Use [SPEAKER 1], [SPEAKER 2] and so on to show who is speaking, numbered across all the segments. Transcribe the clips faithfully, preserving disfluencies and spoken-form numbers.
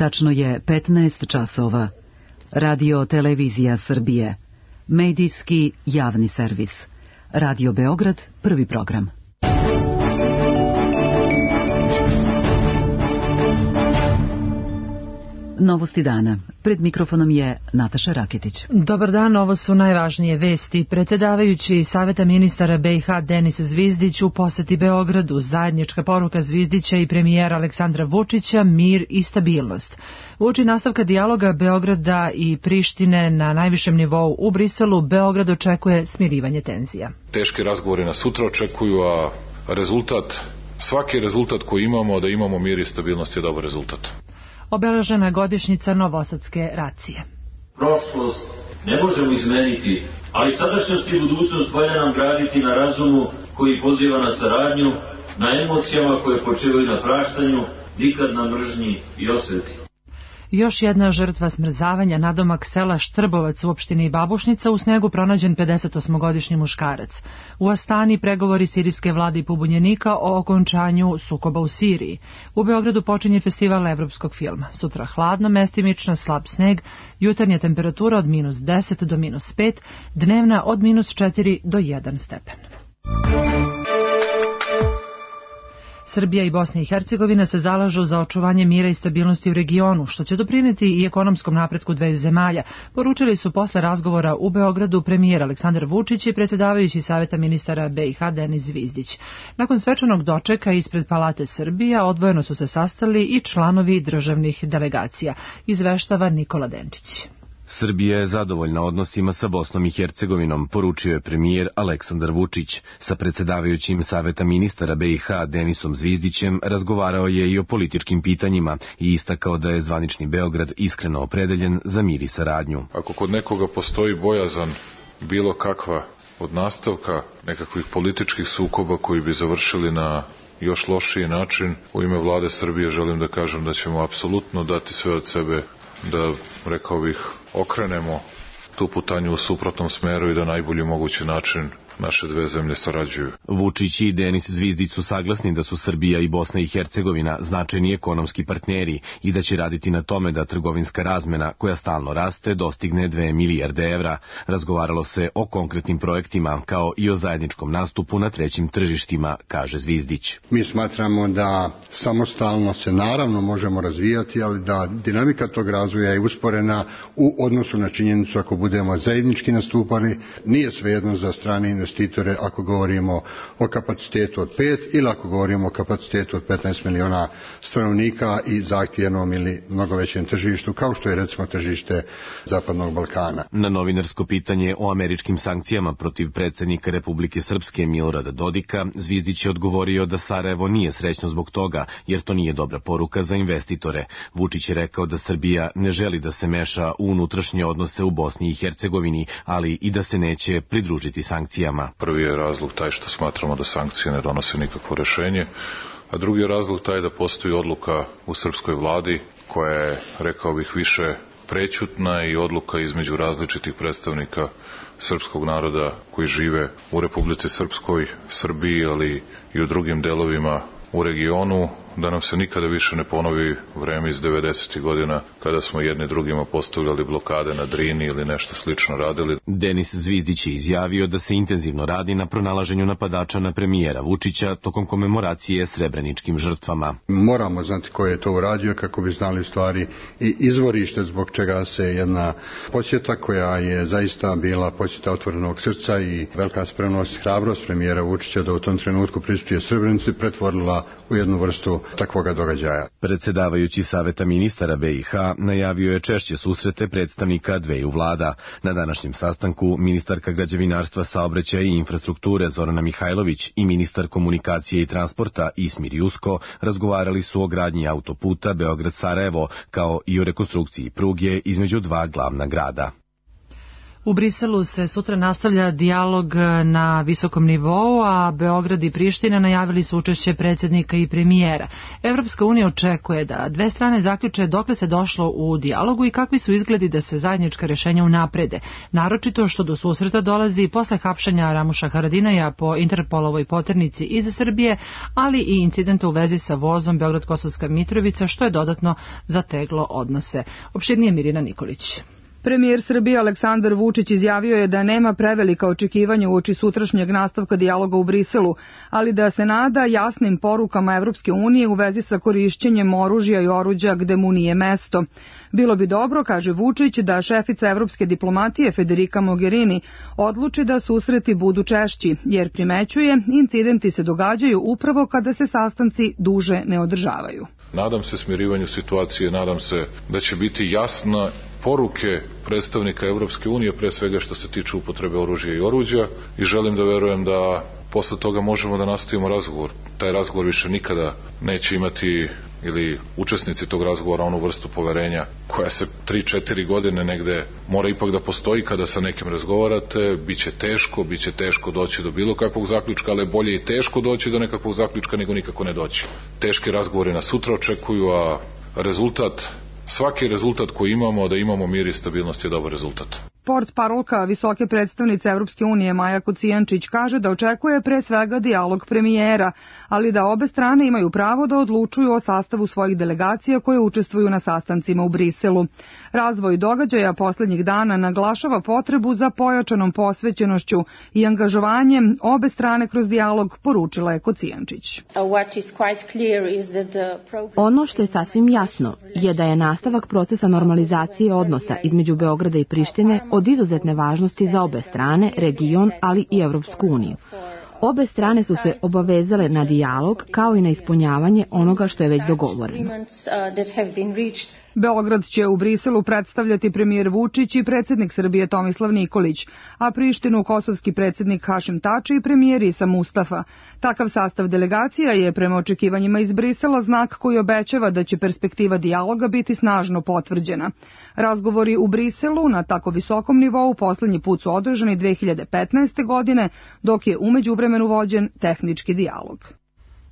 [SPEAKER 1] Tačno je petnaest časova. Radio Televizija Srbije. Medijski javni servis. Radio Beograd, prvi program. Novosti dana. Pred mikrofonom je Nataša Raketić.
[SPEAKER 2] Dobar dan, ovo su najvažnije vesti. Predsjedavajući Saveta ministara B i H Denis Zvizdić u poseti Beogradu. Zajednička poruka Zvizdića i premijera Aleksandra Vučića, mir i stabilnost. Uoči nastavka dijaloga Beograda i Prištine na najvišem nivou u Briselu, Beograd očekuje smirivanje tenzija.
[SPEAKER 3] Teški razgovori nas sutra očekuju, a rezultat, svaki rezultat koji imamo, da imamo mir i stabilnost, je dobar rezultat.
[SPEAKER 2] Obeležena godišnjica novosadske racije.
[SPEAKER 4] Prošlost ne možemo izmeniti, ali sadašnjost i budućnost valja nam graditi na razumu koji poziva na saradnju, na emocijama koje počivaju na praštanju, nikad na mržnji i osveti.
[SPEAKER 2] Još jedna žrtva smrzavanja, nadomak sela Štrbovac u opštini Babušnica, u snegu pronađen pedesetosmogodišnji muškarac. U Astani pregovori sirijske vlade i pobunjenika o okončanju sukoba u Siriji. U Beogradu počinje festival evropskog filma. Sutra hladno, mestimično slab sneg, jutarnja temperatura od minus deset do minus pet, dnevna od minus četiri do jedan stepen. Srbija i Bosna i Hercegovina se zalažu za očuvanje mira i stabilnosti u regionu, što će doprineti i ekonomskom napretku dveju zemalja, poručili su posle razgovora u Beogradu premijer Aleksandar Vučić i predsjedavajući Saveta ministara B i H Denis Zvizdić. Nakon svečanog dočeka ispred Palate Srbija odvojeno su se sastali i članovi državnih delegacija, izveštava Nikola Denčić.
[SPEAKER 5] Srbija je zadovoljna odnosima sa Bosnom i Hercegovinom, poručio je premijer Aleksandar Vučić. Sa predsjedavajućim Saveta ministara B i H Denisom Zvizdićem razgovarao je i o političkim pitanjima i istakao da je zvanični Beograd iskreno opredeljen za mir i saradnju.
[SPEAKER 3] Ako kod nekoga postoji bojazan bilo kakva od nastavka nekakvih političkih sukoba koji bi završili na još lošiji način, u ime vlade Srbije želim da kažem da ćemo apsolutno dati sve od sebe da, rekao bih, okrenemo tu putanju u suprotnom smeru i da najbolji mogući način naše dve zemlje sarađuju.
[SPEAKER 5] Vučić i Denis Zvizdić su saglasni da su Srbija i Bosna i Hercegovina značajni ekonomski partneri i da će raditi na tome da trgovinska razmena, koja stalno raste, dostigne dve milijarde evra. Razgovaralo se o konkretnim projektima, kao i o zajedničkom nastupu na trećim tržištima, kaže Zvizdić.
[SPEAKER 6] Mi smatramo da samostalno se naravno možemo razvijati, ali da dinamika tog razvoja je usporena u odnosu na činjenicu ako budemo zajednički nastupali. Nije svejedno za strane investitore ako govorimo o kapacitetu od pet ili ako govorimo o kapacitetu od petnaest miliona stanovnika i zahtjevnom ili mnogo većem tržištu, kao što je recimo tržište Zapadnog Balkana.
[SPEAKER 5] Na novinarsko pitanje o američkim sankcijama protiv predsjednika Republike Srpske Milorada Dodika, Zvizdić je odgovorio da Sarajevo nije srećno zbog toga, jer to nije dobra poruka za investitore. Vučić je rekao da Srbija ne želi da se meša u unutrašnje odnose u Bosni i Hercegovini, ali i da se neće pridružiti sankcijama.
[SPEAKER 3] Prvi je razlog taj što smatramo da sankcije ne donose nikakvo rješenje, a drugi je razlog taj da postoji odluka u srpskoj vladi koja je, rekao bih, više prećutna i odluka između različitih predstavnika srpskog naroda koji žive u Republici Srpskoj, Srbiji, ali i u drugim delovima u regionu, da nam se nikada više ne ponovi vreme iz devedesetih godina kada smo jedni drugima postavljali blokade na Drini ili nešto slično radili.
[SPEAKER 5] Denis Zvizdić je izjavio da se intenzivno radi na pronalaženju napadača na premijera Vučića tokom komemoracije srebreničkim žrtvama.
[SPEAKER 6] Moramo znati ko je to uradio kako bi znali stvari i izvorište zbog čega se jedna posjeta koja je zaista bila posjeta otvorenog srca i velika spremnost, hrabrost premijera Vučića da u tom trenutku prisustvuje Srebrenici pretvorila u jednu vrstu takvoga događaja.
[SPEAKER 5] Predsjedavajući Saveta ministara B i H najavio je češće susrete predstavnika dveju vlada. Na današnjem sastanku ministarka građevinarstva, saobraćaja i infrastrukture Zorana Mihajlović i ministar komunikacije i transporta Ismir Jusko razgovarali su o gradnji autoputa Beograd-Sarajevo, kao i o rekonstrukciji pruge između dva glavna grada.
[SPEAKER 2] U Briselu se sutra nastavlja dijalog na visokom nivou, a Beograd i Priština najavili su učešće predsjednika i premijera. Evropska unija očekuje da dve strane zaključe dokle se došlo u dijalogu i kakvi su izgledi da se zajednička rješenja unaprede, naročito što do susreta dolazi posle hapšenja Ramuša Haradinaja po Interpolovoj poternici iz Srbije, ali i incidenta u vezi sa vozom Beograd-Kosovska Mitrovica, što je dodatno zateglo odnose. Opširnije Mirina Nikolić.
[SPEAKER 7] Premijer Srbije Aleksandar Vučić izjavio je da nema prevelika očekivanja uoči sutrašnjeg nastavka dijaloga u Briselu, ali da se nada jasnim porukama Evropske unije u vezi sa korišćenjem oružja i oruđa gde mu nije mesto. Bilo bi dobro, kaže Vučić, da šefica evropske diplomatije Federica Mogherini odluči da susreti budu češći, jer primećuje, incidenti se događaju upravo kada se sastanci duže ne održavaju.
[SPEAKER 3] Nadam se smirivanju situacije, nadam se da će biti jasna poruke predstavnika Evropske unije, pre svega što se tiče upotrebe oružja i oruđa, i želim da verujem da posle toga možemo da nastavimo razgovor. Taj razgovor više nikada neće imati, ili učesnici tog razgovora, onu vrstu poverenja koja se tri četiri godine negde mora ipak da postoji kada sa nekim razgovarate. Biće teško, biće teško doći do bilo kakvog zaključka, ali bolje i teško doći do nekakvog zaključka nego nikako ne doći. Teški razgovori nas sutra očekuju, a rezultat, svaki rezultat koji imamo, da imamo mir i stabilnost, je dobar rezultat.
[SPEAKER 7] Port parolka visoke predstavnice Evropske unije Maja Kocijančić kaže da očekuje pre svega dijalog premijera, ali da obe strane imaju pravo da odlučuju o sastavu svojih delegacija koje učestvuju na sastancima u Briselu. Razvoj događaja poslednjih dana naglašava potrebu za pojačanom posvećenošću i angažovanjem obe strane kroz dijalog, poručila je Kocijančić.
[SPEAKER 8] Ono što je sasvim jasno je da je nastavak procesa normalizacije odnosa između Beograda i Prištine od izuzetne važnosti za obe strane, region, ali i Evropsku uniju. Obe strane su se obavezale na dijalog kao i na ispunjavanje onoga što je već dogovoreno.
[SPEAKER 7] Beograd će u Briselu predstavljati premijer Vučić i predsjednik Srbije Tomislav Nikolić, a Prištinu kosovski predsjednik Hašim Tači i premijer Isa Mustafa. Takav sastav delegacija je prema očekivanjima iz Brisela znak koji obećava da će perspektiva dijaloga biti snažno potvrđena. Razgovori u Briselu na tako visokom nivou poslednji put su održani dve hiljade petnaeste. godine, dok je u međuvremenu vođen tehnički dijalog.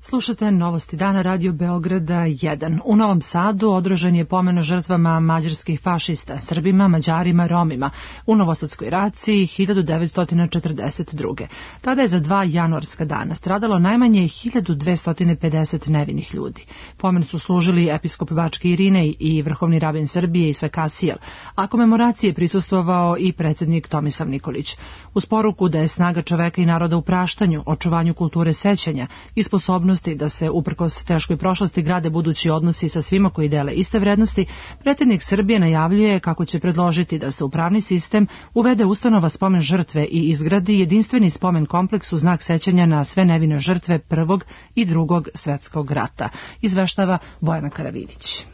[SPEAKER 2] Slušate Novosti dana Radio Beograda jedan. U Novom Sadu održan je pomen žrtvama mađarskih fašista, Srbima, Mađarima, Romima u Novosadskoj raciji hiljadu devetsto četrdeset druge. Tada je za dva januarska dana stradalo najmanje hiljadu dvesta pedeset nevinih ljudi. Pomen su služili episkop Bačke Irinej i vrhovni rabin Srbije Isa Kasijel, a komemoracije prisustvovao i predsjednik Tomislav Nikolić. Uz poruku da je snaga čoveka i naroda u praštanju, očuvanju kulture sećanja i sposobnosti da se uprkos teškoj prošlosti grade budući odnosi sa svima koji dele iste vrednosti, predsjednik Srbije najavljuje kako će predložiti da se u pravni sistem uvede ustanova spomen žrtve i izgradi jedinstveni spomen kompleks u znak sećanja na sve nevine žrtve Prvog i Drugog svetskog rata. Izveštava Bojana Karavidić.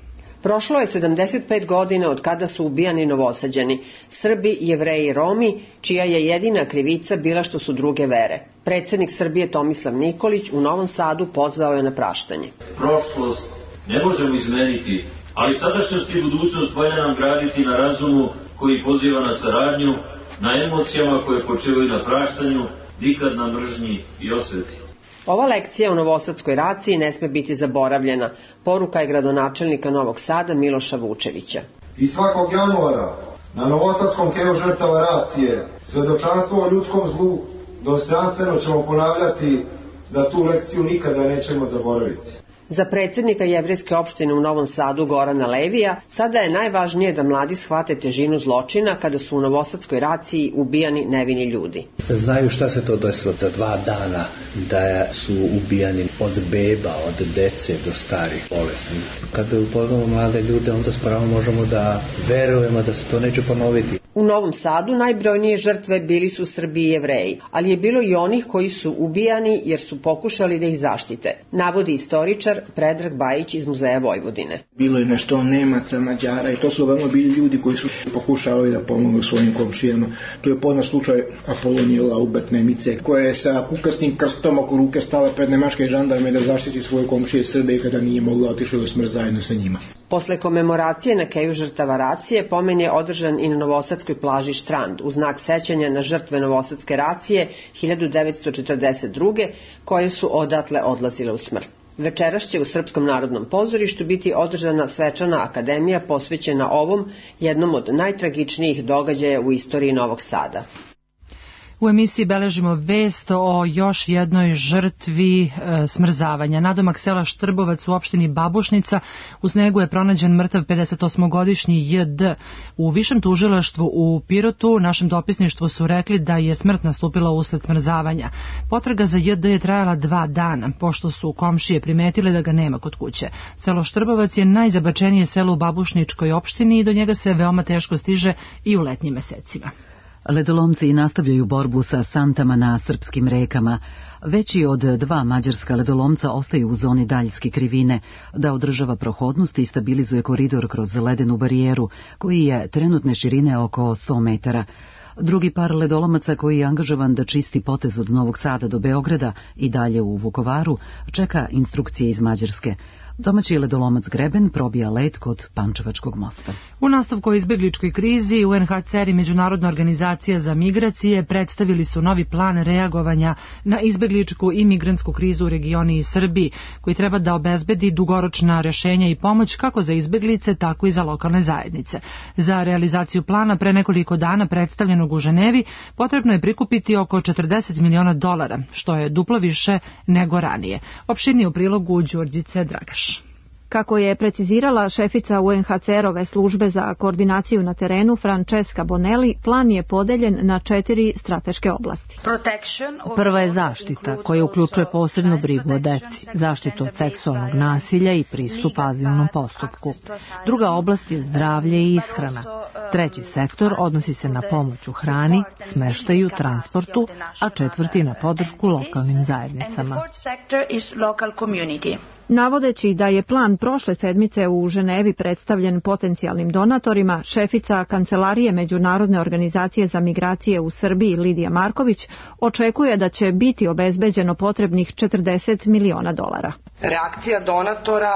[SPEAKER 9] Prošlo je sedamdeset pet godina od kada su ubijani Novosađani, Srbi, Jevreji i Romi, čija je jedina krivica bila što su druge vere. Predsjednik Srbije Tomislav Nikolić u Novom Sadu pozvao je na praštanje.
[SPEAKER 4] Prošlost ne možemo izmeniti, ali sadašnjost i budućnost valja nam graditi na razumu koji poziva na saradnju, na emocijama koje počivaju na praštanju, nikad na mržnji i osveti.
[SPEAKER 9] Ova lekcija u Novosadskoj raciji ne sme biti zaboravljena, poruka je gradonačelnika Novog Sada Miloša Vučevića.
[SPEAKER 10] I svakog januara na Novosadskom keju žrtava racije svedočanstvo o ljudskom zlu dostojanstveno ćemo ponavljati da tu lekciju nikada nećemo zaboraviti.
[SPEAKER 9] Za predsjednika jevrejske opštine u Novom Sadu Gorana Levija sada je najvažnije da mladi shvate težinu zločina kada su u Novosadskoj raciji ubijani nevini ljudi.
[SPEAKER 11] Znaju šta se to desilo da dva dana da su ubijani od beba, od dece do starih bolesnih. Kada upoznamo mlade ljude, onda s pravom možemo da verujemo da se to neće ponoviti.
[SPEAKER 9] U Novom Sadu najbrojnije žrtve bili su Srbi i Jevreji, ali je bilo i onih koji su ubijani jer su pokušali da ih zaštite, navodi istoričar istoričar Predrag Bajić iz Muzeja Vojvodine.
[SPEAKER 12] Bilo je nešto Nemaca, Mađara i to su veoma bili ljudi koji su pokušavali da pomognu svojim komšijama. Tu je poznat slučaj Apolonije Laubert Nemice, koja je sa kukastim krstom oko ruke stala pred nemačke žandarme da zaštiti svoje komšije Srbe i kada nije mogla otišla u smrt zajedno sa njima.
[SPEAKER 9] Posle komemoracije na keju žrtava racije pomen je održan i na novosadskoj plaži Štrand u znak sećanja na žrtve novosadske racije hiljadu devetsto četrdeset druge koje su odatle odlazile u smrt. Večeras će u Srpskom narodnom pozorištu biti održana svečana akademija posvećena ovom, jednom od najtragičnijih događaja u istoriji Novog Sada.
[SPEAKER 2] U emisiji beležimo vest o još jednoj žrtvi e, smrzavanja. Nadomak sela Štrbovac u opštini Babušnica u snegu je pronađen mrtav pedesetosmogodišnji J D. U višem tužilaštvu u Pirotu našem dopisništvu su rekli da je smrt nastupila usled smrzavanja. Potraga za J D je trajala dva dana, pošto su komšije primetile da ga nema kod kuće. Selo Štrbovac je najzabačenije selo u Babušničkoj opštini i do njega se veoma teško stiže i u letnjim mesecima.
[SPEAKER 1] Ledolomci nastavljaju borbu sa santama na srpskim rekama. Veći od dva mađarska ledolomca ostaju u zoni daljske krivine, da održava prohodnost i stabilizuje koridor kroz ledenu barijeru, koji je trenutne širine oko sto metara. Drugi par ledolomaca koji je angažovan da čisti potez od Novog Sada do Beograda i dalje u Vukovaru, čeka instrukcije iz Mađarske. Domaći ledolomac Greben probija led kod Pančevačkog mosta.
[SPEAKER 2] U nastavku o izbegličkoj krizi U N H C R i Međunarodna organizacija za migracije predstavili su novi plan reagovanja na izbegličku i migrantsku krizu u regioni i Srbiji, koji treba da obezbedi dugoročna rešenja i pomoć kako za izbeglice, tako i za lokalne zajednice. Za realizaciju plana pre nekoliko dana predstavljenog u Ženevi potrebno je prikupiti oko četrdeset miliona dolara, što je duplo više nego ranije. Opširnije u prilogu Đurđice Dragaš.
[SPEAKER 13] Kako je precizirala šefica U N H C R-ove službe za koordinaciju na terenu Francesca Bonelli, plan je podeljen na četiri strateške oblasti.
[SPEAKER 14] Prva je zaštita, koja uključuje posebnu brigu o deci, zaštitu od seksualnog nasilja i pristup azilnom postupku. Druga oblast je zdravlje i ishrana. Treći sektor odnosi se na pomoć u hrani, smeštaju, transportu, a četvrti na podršku lokalnim zajednicama.
[SPEAKER 13] Navodeći da je plan prošle sedmice u Ženevi predstavljen potencijalnim donatorima, šefica Kancelarije Međunarodne organizacije za migracije u Srbiji Lidija Marković očekuje da će biti obezbeđeno potrebnih četrdeset miliona dolara.
[SPEAKER 15] Reakcija donatora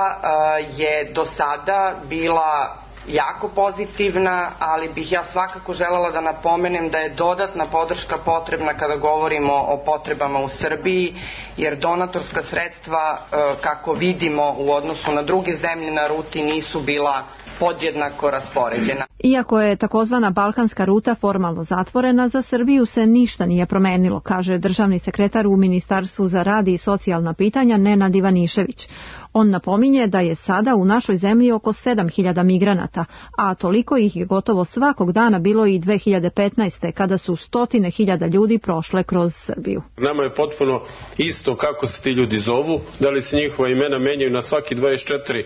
[SPEAKER 15] je do sada bila jako pozitivna, ali bih ja svakako želela da napomenem da je dodatna podrška potrebna kada govorimo o potrebama u Srbiji, jer donatorska sredstva, kako vidimo u odnosu na druge zemlje na ruti, nisu bila podjednako raspoređena.
[SPEAKER 13] Iako je takozvana balkanska ruta formalno zatvorena, za Srbiju se ništa nije promenilo, kaže državni sekretar u Ministarstvu za rad i socijalna pitanja Nenad Ivanišević. On napominje da je sada u našoj zemlji oko sedam hiljada migranata, a toliko ih je gotovo svakog dana bilo i dve hiljade petnaeste. kada su stotine hiljada ljudi prošle kroz Srbiju.
[SPEAKER 16] Nama je potpuno isto kako se ti ljudi zovu, da li se njihova imena menjaju na svaki dvadeset četiri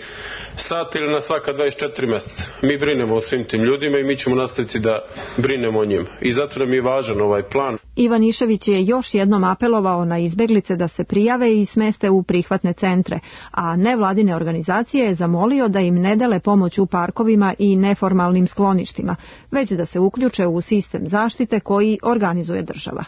[SPEAKER 16] sata ili na svaka dvadeset četiri meseca. Mi brinemo o svim tim ljudima i mi ćemo nastaviti da brinemo o njima. I zato nam je važan ovaj plan.
[SPEAKER 13] Ivanišević je još jednom apelovao na izbeglice da se prijave i smeste u prihvatne centre, a nevladine organizacije je zamolio da im ne dele pomoć u parkovima i neformalnim skloništima, već da se uključe u sistem zaštite koji organizuje država.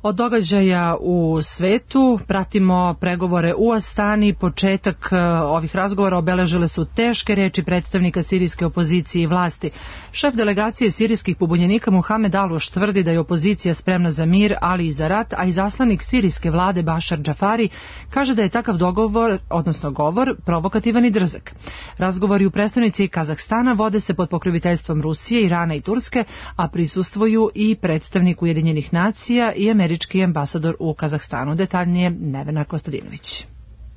[SPEAKER 2] Od događaja u svetu pratimo pregovore u Astani. Početak ovih razgovora obeležile su teške reči predstavnika sirijske opozicije i vlasti. Šef delegacije sirijskih pobunjenika Muhamed Aluš tvrdi da je opozicija spremna za mir, ali i za rat, a izaslanik sirijske vlade Bašar Džafari kaže da je takav dogovor, odnosno govor, provokativan i drzak. Razgovori u prestonici Kazahstana vode se pod pokroviteljstvom Rusije, Irana i Turske, a prisustvuju i predstavnik Ujedinjenih nacija i američki ambasador u Kazahstanu. Detaljnije Nevena Kostadinović.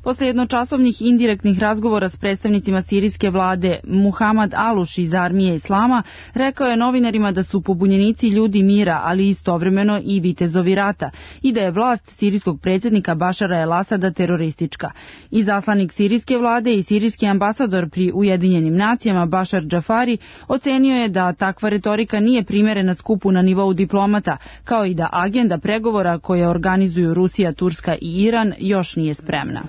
[SPEAKER 17] Posle jednočasovnih indirektnih razgovora s predstavnicima sirijske vlade, Muhamad Aluš iz Armije Islama rekao je novinarima da su pobunjenici ljudi mira, ali istovremeno i vitezovi rata, i da je vlast sirijskog predsjednika Bašara el Asada teroristička. Izaslanik sirijske vlade i sirijski ambasador pri Ujedinjenim nacijama Bašar Džafari ocenio je da takva retorika nije primerena skupu na nivou diplomata, kao i da agenda pregovora koje organizuju Rusija, Turska i Iran još nije spremna.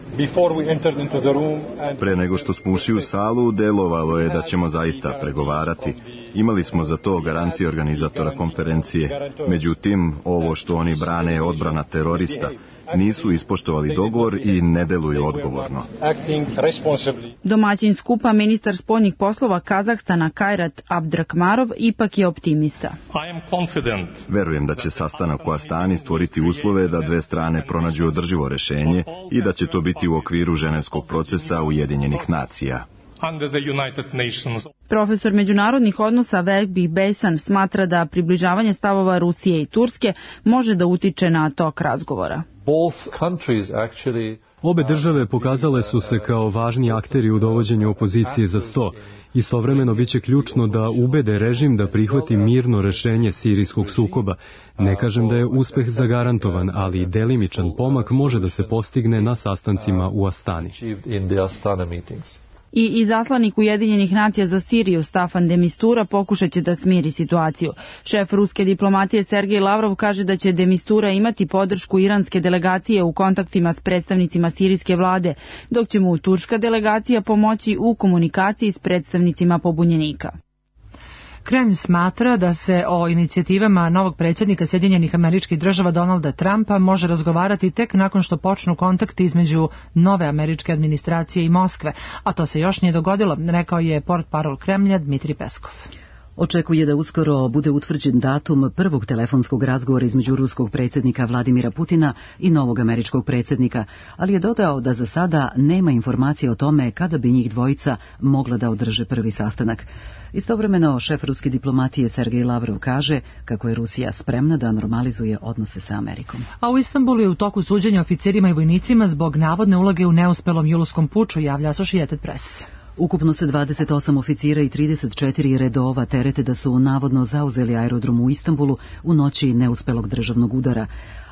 [SPEAKER 18] Pre nego što smo ušli u salu, delovalo je da ćemo zaista pregovarati. Imali smo za to garancije organizatora konferencije. Međutim, ovo što oni brane je odbrana terorista. Nisu ispoštovali dogovor i ne deluju odgovorno.
[SPEAKER 17] Domaćin skupa, ministar spoljnih poslova Kazahstana Kajrat Abdrakmarov, ipak je optimista.
[SPEAKER 18] Verujem da će sastanak u Astani stvoriti uslove da dve strane pronađu održivo rešenje i da će to biti u okviru ženevskog procesa Ujedinjenih nacija.
[SPEAKER 17] Profesor međunarodnih odnosa Vehbi Bejsan smatra da približavanje stavova Rusije i Turske može da utiče na tok razgovora.
[SPEAKER 19] Obe države pokazale su se kao važni akteri u dovođenju opozicije za sto. Istovremeno biće ključno da ubede režim da prihvati mirno rešenje sirijskog sukoba. Ne kažem da je uspeh zagarantovan, ali delimičan pomak može da se postigne na sastancima u Astani.
[SPEAKER 17] I izaslanik Ujedinjenih nacija za Siriju Staffan de Mistura pokušat će da smiri situaciju. Šef ruske diplomatije Sergej Lavrov kaže da će de Mistura imati podršku iranske delegacije u kontaktima s predstavnicima sirijske vlade, dok će mu turska delegacija pomoći u komunikaciji s predstavnicima pobunjenika.
[SPEAKER 2] Kremlj smatra da se o inicijativama novog predsjednika Sjedinjenih Američkih Država Donalda Trumpa može razgovarati tek nakon što počnu kontakti između nove američke administracije i Moskve, a to se još nije dogodilo, rekao je portparol Kremlja Dmitrij Peskov.
[SPEAKER 1] Očekuje da uskoro bude utvrđen datum prvog telefonskog razgovora između ruskog predsjednika Vladimira Putina i novog američkog predsjednika, ali je dodao da za sada nema informacije o tome kada bi njih dvojica mogla da održe prvi sastanak. Istovremeno, šef ruske diplomatije Sergej Lavrov kaže kako je Rusija spremna da normalizuje odnose sa Amerikom.
[SPEAKER 2] A u Istanbulu je u toku suđenja oficirima i vojnicima zbog navodne uloge u neuspelom julovskom puču, javlja Associated Press.
[SPEAKER 1] Ukupno se dvadeset osam oficira i trideset četiri redova terete da su navodno zauzeli aerodrom u Istanbulu u noći neuspelog državnog udara.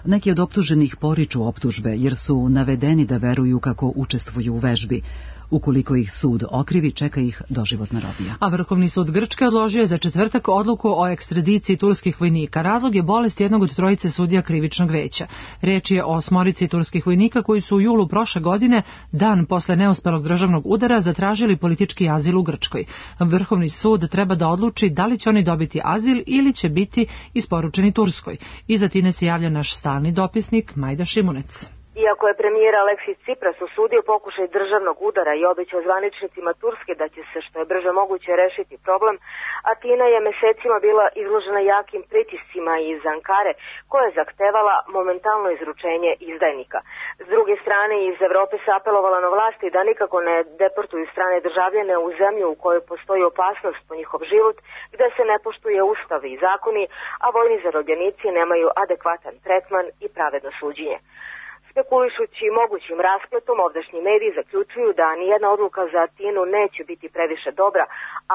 [SPEAKER 1] Neki od optuženih poriču optužbe jer su navedeni da veruju kako učestvuju u vežbi. Ukoliko ih sud okrivi, čeka ih doživotna robija.
[SPEAKER 2] A Vrhovni sud Grčke odložio je za četvrtak odluku o ekstradiciji turskih vojnika. Razlog je bolest jednog od trojice sudija krivičnog veća. Riječ je o osmorici turskih vojnika koji su u julu prošle godine, dan posle neuspelog državnog udara, zatražili politički azil u Grčkoj. Vrhovni sud treba da odluči da li će oni dobiti azil ili će biti isporučeni Turskoj. Iza Tine se javlja naš stalni dopisnik Majda Šimunec.
[SPEAKER 20] Iako je premijer Aleksis Tsipras osudio pokušaj državnog udara i obećao zvaničnicima Turske da će se što je brže moguće rešiti problem, Atina je mesecima bila izložena jakim pritiscima iz Ankare, koja je zahtevala momentalno izručenje izdajnika. S druge strane, iz Evrope se apelovala na vlasti da nikako ne deportuju strane državljane u zemlju u kojoj postoji opasnost po njihov život, gde se ne poštuje ustav i zakoni, a vojni zarobljenici nemaju adekvatan tretman i pravedno suđenje. Spekulišući mogućim raspletom, ovdašnji mediji zaključuju da nijedna odluka za Atinu neće biti previše dobra,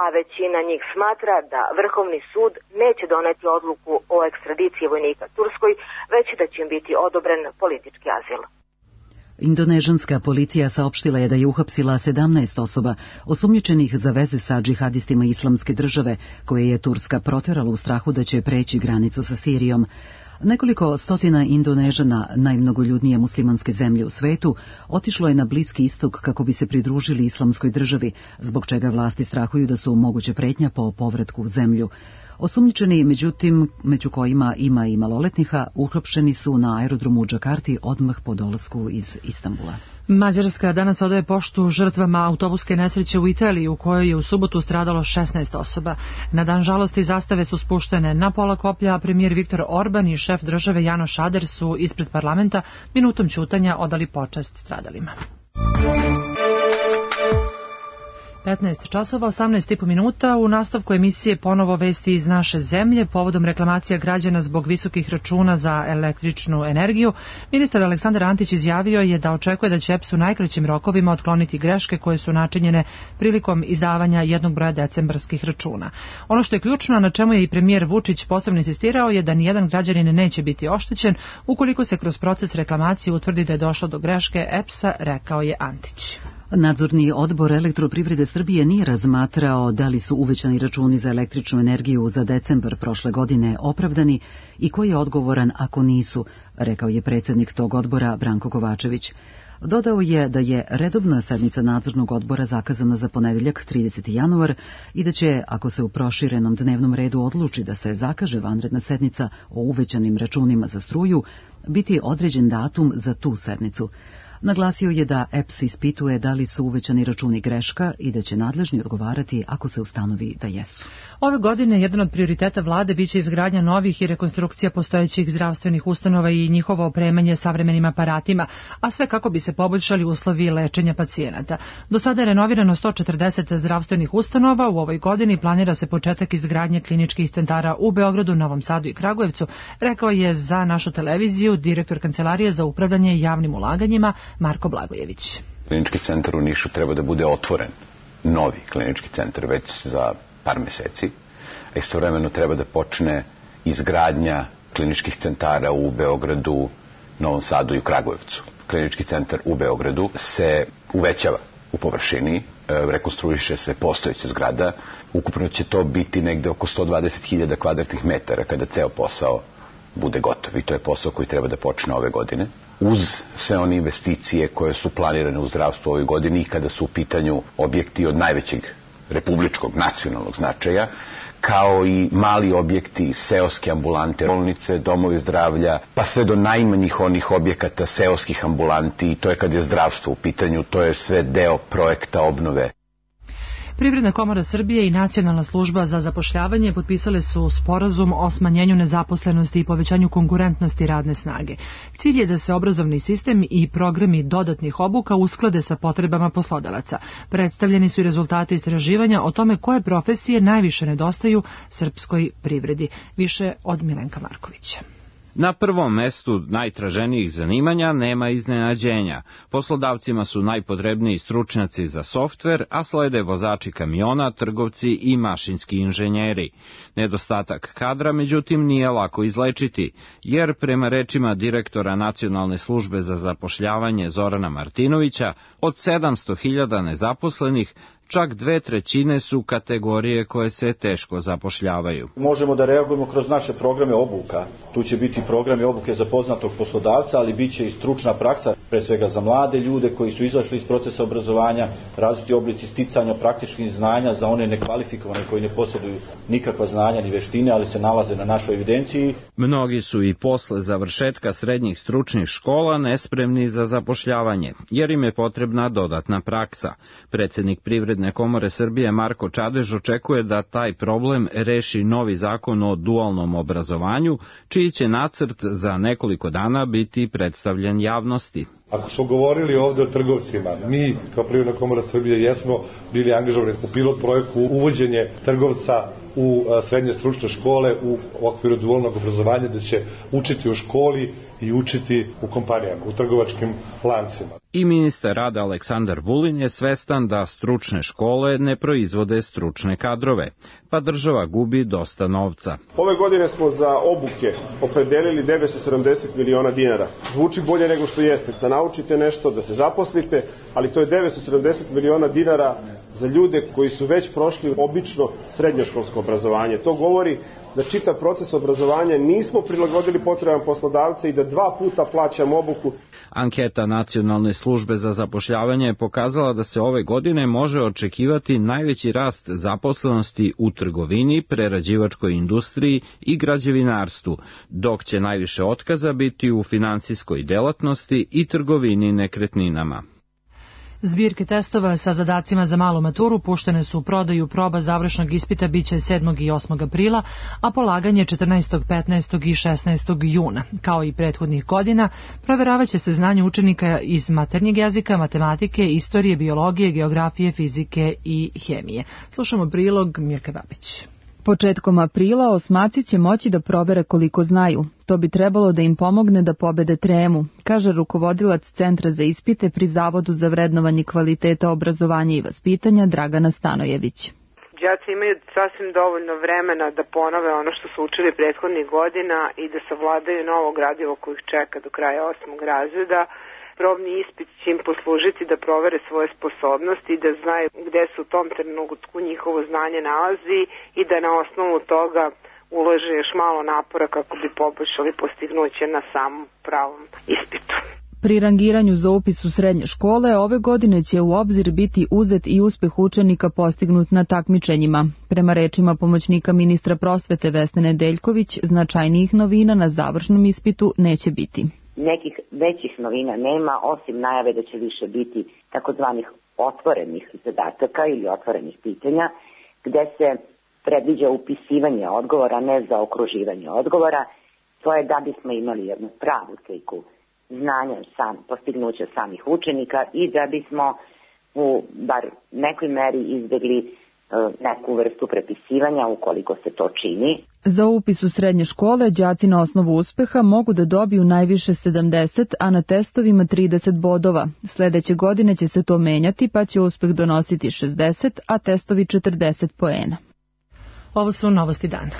[SPEAKER 20] a većina njih smatra da Vrhovni sud neće doneti odluku o ekstradiciji vojnika Turskoj, već da će im biti odobren politički azil.
[SPEAKER 1] Indonežanska policija saopštila je da je uhapsila sedamnaest osoba osumnjičenih za veze sa džihadistima Islamske države, koje je Turska proterala u strahu da će preći granicu sa Sirijom. Nekoliko stotina Indonežana, najmnogoljudnije muslimanske zemlje u svetu, otišlo je na Bliski istok kako bi se pridružili Islamskoj državi, zbog čega vlasti strahuju da su moguće pretnja po povratku u zemlju. Osumnjičeni, međutim, među kojima ima i maloletniha, uhapšeni su na aerodromu u Džakarti odmah po dolasku iz Istanbula.
[SPEAKER 2] Mađarska danas odaje poštu žrtvama autobuske nesreće u Italiji, u kojoj je u subotu stradalo šesnaest osoba. Na dan žalosti zastave su spuštene na pola koplja, a premijer Viktor Orban i šef države Janoš Ader su ispred parlamenta minutom ćutanja odali počast stradalima. petnaest časova, osamnaest i po minuta. U nastavku emisije ponovo vesti iz naše zemlje povodom reklamacija građana zbog visokih računa za električnu energiju. Ministar Aleksandar Antić izjavio je da očekuje da će E P S u najkraćim rokovima otkloniti greške koje su načinjene prilikom izdavanja jednog broja decembarskih računa. Ono što je ključno, na čemu je i premijer Vučić posebno insistirao, je da nijedan građanin neće biti oštećen ukoliko se kroz proces reklamacije utvrdi da je došlo do greške E P S-a, rekao je Antić.
[SPEAKER 1] Nadzorni odbor Elektroprivrede Srbije nije razmatrao da li su uvećani računi za električnu energiju za decembar prošle godine opravdani i ko je odgovoran ako nisu, rekao je predsjednik tog odbora Branko Kovačević. Dodao je da je redovna sednica nadzornog odbora zakazana za ponedeljak trideseti januar i da će, ako se u proširenom dnevnom redu odluči da se zakaže vanredna sednica o uvećanim računima za struju, biti određen datum za tu sednicu. Naglasio je da E P S ispituje da li su uvećani računi greška i da će nadležni odgovarati ako se ustanovi da jesu.
[SPEAKER 2] Ove godine jedan od prioriteta vlade biće izgradnja novih i rekonstrukcija postojećih zdravstvenih ustanova i njihovo opremanje savremenim aparatima, a sve kako bi se poboljšali uslovi lečenja pacijenata. Do sada je renovirano sto četrdeset zdravstvenih ustanova, u ovoj godini planira se početak izgradnje kliničkih centara u Beogradu, Novom Sadu i Kragujevcu, rekao je za našu televiziju direktor Kancelarije za upravljanje javnim ulaganjima Marko Blagojević.
[SPEAKER 21] Klinički centar u Nišu treba da bude otvoren, novi klinički centar već za par meseci, a istovremeno treba da počne izgradnja kliničkih centara u Beogradu, Novom Sadu i u Kragujevcu. Klinički centar u Beogradu se uvećava u površini, rekonstruiše se postojeća zgrada, ukupno će to biti negde oko sto dvadeset hiljada kvadratnih metara kada ceo posao bude gotov i to je posao koji treba da počne ove godine. Uz sve one investicije koje su planirane u zdravstvu ove godine i kada su u pitanju objekti od najvećeg republičkog nacionalnog značaja, kao i mali objekti, seoske ambulante, bolnice, domovi zdravlja, pa sve do najmanjih onih objekata seoskih ambulanti, i to je kad je zdravstvo u pitanju, to je sve deo projekta obnove.
[SPEAKER 2] Privredna komora Srbije i Nacionalna služba za zapošljavanje potpisale su sporazum o smanjenju nezaposlenosti i povećanju konkurentnosti radne snage. Cilj je da se obrazovni sistem i programi dodatnih obuka usklade sa potrebama poslodavaca. Predstavljeni su i rezultati istraživanja o tome koje profesije najviše nedostaju srpskoj privredi. Više od Milenka Markovića.
[SPEAKER 22] Na prvom mestu najtraženijih zanimanja nema iznenađenja. Poslodavcima su najpotrebniji stručnjaci za softver, a slede vozači kamiona, trgovci i mašinski inženjeri. Nedostatak kadra, međutim, nije lako izlečiti, jer prema rečima direktora Nacionalne službe za zapošljavanje Zorana Martinovića, od sedamsto hiljada nezaposlenih, čak dve trećine su kategorije koje se teško zapošljavaju.
[SPEAKER 23] Možemo da reagujemo kroz naše programe obuka. Tu će biti programi obuke za poznatog poslodavca, ali bit će i stručna praksa, pre svega za mlade ljude koji su izašli iz procesa obrazovanja, različiti oblici sticanja praktičnih znanja za one nekvalifikovane koji ne posjeduju nikakva znanja ni veštine, ali se nalaze na našoj evidenciji.
[SPEAKER 22] Mnogi su i posle završetka srednjih stručnih škola nespremni za zapošljavanje, jer im je potrebna dodatna praksa. Predsednik Privredne komore Srbije Marko Čadež očekuje da taj problem reši novi zakon o dualnom obrazovanju, čiji će nacrt za nekoliko dana biti predstavljen javnosti.
[SPEAKER 24] Ako smo govorili ovde o trgovcima, mi kao Privredna komora Srbije jesmo bili angažovani u pilot projektu uvođenje trgovca u srednje stručne škole u okviru dualnog obrazovanja, da će učiti u školi i učiti u kompanijama, u trgovačkim lancima.
[SPEAKER 22] I ministar rada Aleksandar Vulin je svestan da stručne škole ne proizvode stručne kadrove, pa država gubi dosta novca.
[SPEAKER 25] Ove godine smo za obuke opredelili devetsto sedamdeset miliona dinara. Zvuči bolje nego što jeste, da naučite nešto, da se zaposlite, ali to je devetsto sedamdeset miliona dinara za ljude koji su već prošli obično srednjoškolsko obrazovanje. To govori da čitav proces obrazovanja nismo prilagodili potrebama poslodavca i da dva puta plaćamo obuku.
[SPEAKER 22] Anketa Nacionalne službe za zapošljavanje je pokazala da se ove godine može očekivati najveći rast zaposlenosti u trgovini, prerađivačkoj industriji i građevinarstvu, dok će najviše otkaza biti u finansijskoj delatnosti i trgovini nekretninama.
[SPEAKER 2] Zbirke testova sa zadacima za malu maturu puštene su u prodaju, proba završnog ispita biće sedmog i osmog aprila, a polaganje četrnaestog, petnaestog i šesnaestog juna. Kao i prethodnih godina, proveravaće se znanje učenika iz maternjeg jezika, matematike, istorije, biologije, geografije, fizike i hemije. Slušamo prilog Mirke Babić.
[SPEAKER 26] Početkom aprila osmaci će moći da provere koliko znaju. To bi trebalo da im pomogne da pobede tremu, kaže rukovodilac Centra za ispite pri Zavodu za vrednovanje kvaliteta obrazovanja i vaspitanja Dragana Stanojević.
[SPEAKER 27] Đaci imaju sasvim dovoljno vremena da ponove ono što su učili prethodnih godina i da savladaju novo gradivo koje ih čeka do kraja osmog razreda. probni ispit će im poslužiti da provere svoje sposobnosti i da znaju gde se u tom trenutku njihovo znanje nalazi i da na osnovu toga ulože još malo napora kako bi poboljšali postignuće na samom pravom ispitu.
[SPEAKER 26] Pri rangiranju za upis u srednje škole ove godine će u obzir biti uzet i uspeh učenika postignut na takmičenjima. Prema rečima pomoćnika ministra prosvete Vesne Nedeljković, značajnijih novina na završnom ispitu neće biti.
[SPEAKER 3] Nekih većih novina nema, osim najave da će više biti takozvanih otvorenih zadataka ili otvorenih pitanja, gde se predviđa upisivanje odgovora, ne za okruživanje odgovora. To je da bismo imali jednu pravu sliku znanja, sam, postignuća samih učenika i da bismo u bar nekoj meri izbjegli e, neku vrstu prepisivanja ukoliko se to čini.
[SPEAKER 26] Za upis u srednje škole đaci na osnovu uspeha mogu da dobiju najviše sedamdeset, a na testovima trideset bodova. Sledeće godine će se to menjati, pa će uspeh donositi šezdeset, a testovi četrdeset poena.
[SPEAKER 2] Ovo su novosti dana.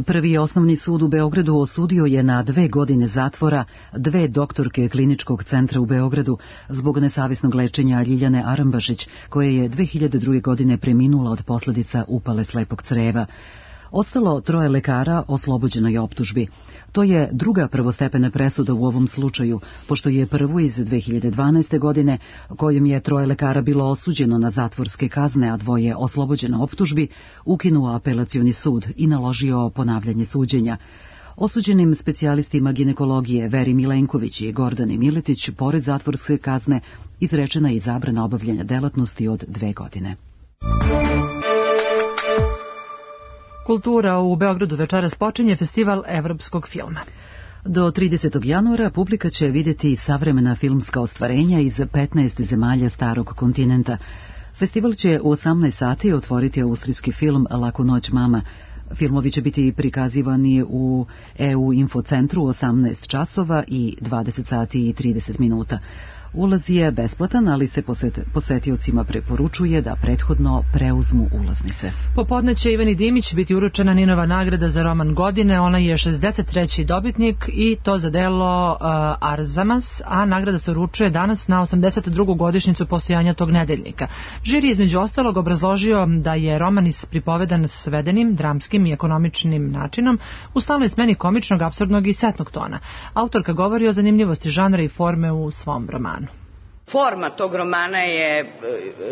[SPEAKER 1] Prvi osnovni sud u Beogradu osudio je na dve godine zatvora dve doktorke kliničkog centra u Beogradu zbog nesavesnog lečenja Ljiljane Arambašić, koja je dve hiljade druge. godine preminula od posljedica upale slepog creva. Ostalo troje lekara oslobođeno je optužbi. To je druga prvostepena presuda u ovom slučaju, pošto je prvu iz dve hiljade dvanaeste. godine, kojom je troje lekara bilo osuđeno na zatvorske kazne, a dvoje oslobođeno optužbi, ukinuo apelacioni sud i naložio ponavljanje suđenja. Osuđenim specijalistima ginekologije Veri Milenković i Gordani Miletić, pored zatvorske kazne, izrečena je i zabrana obavljanja delatnosti od dve godine.
[SPEAKER 2] Kultura u Beogradu večeras počinje festival evropskog filma.
[SPEAKER 1] Do tridesetog januara publika će vidjeti savremena filmska ostvarenja iz petnaest zemalja starog kontinenta. Festival će u osamnaest sati otvoriti austrijski film Laku noć mama. Filmovi će biti prikazivani u E U infocentru u osamnaest časova i dvadeset sati i trideset minuta. Ulaz je besplatan, ali se poset, posetiocima preporučuje da prethodno preuzmu ulaznice.
[SPEAKER 2] Popodne će Ivani Dimić biti uručena Ninova nagrada za roman godine. Ona je šezdeset treći dobitnik i to za delo uh, Arzamas, a nagrada se uručuje danas na osamdeset drugu godišnjicu postojanja tog nedeljnika. Žiri između ostalog obrazložio da je roman ispripovedan svedenim, dramskim i ekonomičnim načinom u stalnoj smeni komičnog, apsurdnog i setnog tona. Autorka govori o zanimljivosti žanra i forme u svom romanu.
[SPEAKER 4] Forma tog romana je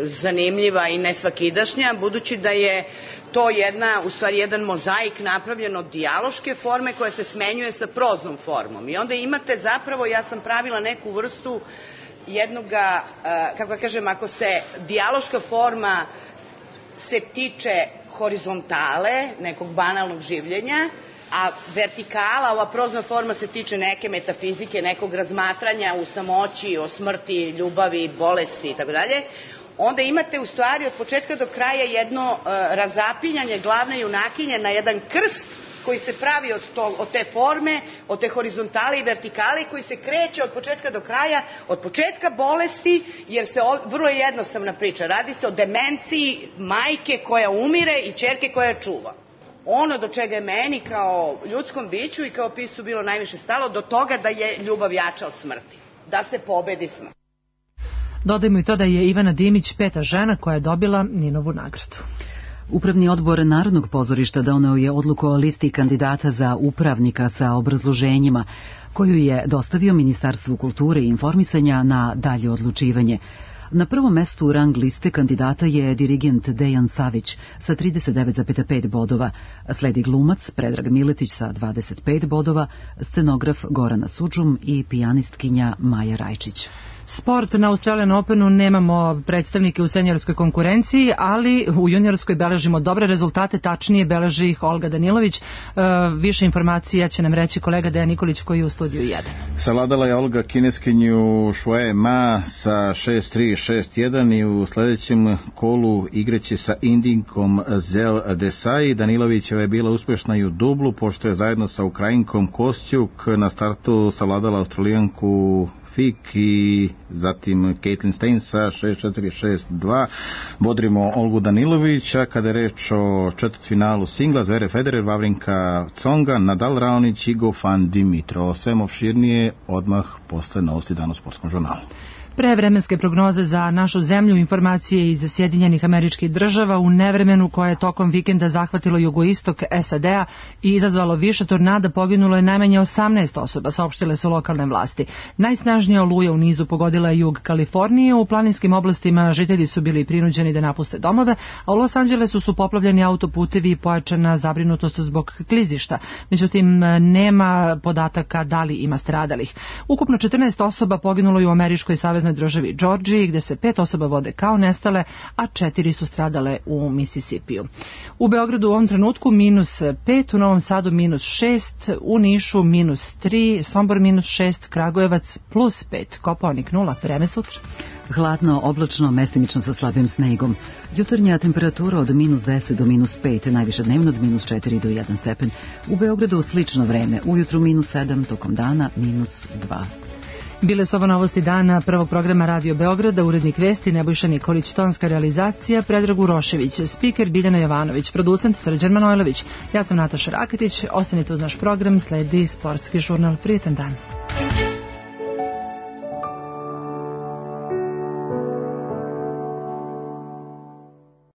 [SPEAKER 4] zanimljiva i nesvakidašnja, budući da je to jedna, u stvari jedan mozaik napravljen od dijaloške forme koja se smenjuje sa proznom formom. I onda imate zapravo, ja sam pravila neku vrstu jednoga, kako kažem, ako se dijaloška forma se tiče horizontale, nekog banalnog življenja, a vertikala, ova prozna forma se tiče neke metafizike, nekog razmatranja u samoći, o smrti, ljubavi, bolesti i tako dalje, onda imate u stvari od početka do kraja jedno uh, razapinjanje glavne junakinje na jedan krst koji se pravi od, to, od te forme, od te horizontale i vertikale, koji se kreće od početka do kraja, od početka bolesti, jer se o, vrlo je jednostavna priča, radi se o demenciji majke koja umire i ćerke koja čuva. Ono do čega je meni kao ljudskom biću i kao piscu bilo najviše stalo, do toga da je ljubav jača od smrti, da se pobedi smrt.
[SPEAKER 2] Dodajmo i to da je Ivana Dimić peta žena koja je dobila Ninovu nagradu.
[SPEAKER 1] Upravni odbor Narodnog pozorišta doneo je odluku o listi kandidata za upravnika sa obrazloženjima, koju je dostavio Ministarstvu kulture i informisanja na dalje odlučivanje. Na prvom mestu rang liste kandidata je dirigent Dejan Savić sa trideset devet zarez pet bodova, sledi glumac Predrag Miletić sa dvadeset pet bodova, scenograf Gorana Sudžum i pijanistkinja Maja Rajčić.
[SPEAKER 2] Sport. Na Australian Openu nemamo predstavnike u seniorskoj konkurenciji, ali u juniorskoj beležimo dobre rezultate, tačnije beleži ih Olga Danilović. E, više informacija će nam reći kolega Dejan Nikolić koji je u studiju jedan.
[SPEAKER 5] Savladala je Olga kineskinju Šue Ma sa šest tri šest jedan i u sledećem kolu igraće sa Indinkom Zel Desai. Danilovićeva je bila uspešna i u dublu, pošto je zajedno sa Ukrajinkom Kostjuk na startu savladala Australijanku Fik i zatim Caitlin Stein sa šest četiri šest dva. Bodrimo Olgu Danilovića. Kada je reč o četvrtfinalu singla, Zverev Federer, Vavrinka Tsonga, Nadal Raonić i Goffin Dimitrov. Sve opširnije odmah posle novosti dana u Sportskom žurnalu.
[SPEAKER 2] Pre vremenske prognoze za našu zemlju, informacije iz Sjedinjenih Američkih Država u nevremenu koje je tokom vikenda zahvatilo jugoistok S A D-a i izazvalo više tornada, poginulo je najmanje osamnaest osoba, saopštile su lokalne vlasti. Najsnažnija oluja u nizu pogodila je jug Kalifornije, u planinskim oblastima žitelji su bili prinuđeni da napuste domove, a u Los Angelesu su poplavljeni autoputevi i pojačana zabrinutost zbog klizišta. Međutim, nema podataka da li ima stradalih. Ukupno četrnaest osoba poginulo je u Američkoj saveznoj državi Džordžiji, gde se pet osoba vode kao nestale, a četiri su stradale u Misisipiju. U Beogradu u ovom trenutku minus pet, u Novom Sadu minus šest, u Nišu minus tri, Sombor minus šest, Kragujevac plus pet, Kopaonik nula, vreme sutra.
[SPEAKER 1] Hladno, oblačno, mestimično sa slabim snegom. Jutarnja temperatura od minus deset do minus pet, najviše dnevno od minus četiri do jedan stepen. U Beogradu slično vreme, ujutru minus sedam, tokom dana minus dva.
[SPEAKER 2] Bile su ovo novosti dana prvog programa Radio Beograda, urednik vesti Nebojša Nikolić, tonska realizacija Predrag Urošević, spiker Biljana Jovanović, producent Srđan Manojlović. Ja sam Nataša Raketić, ostanite uz naš program, sledi Sportski žurnal. Prijetan dan.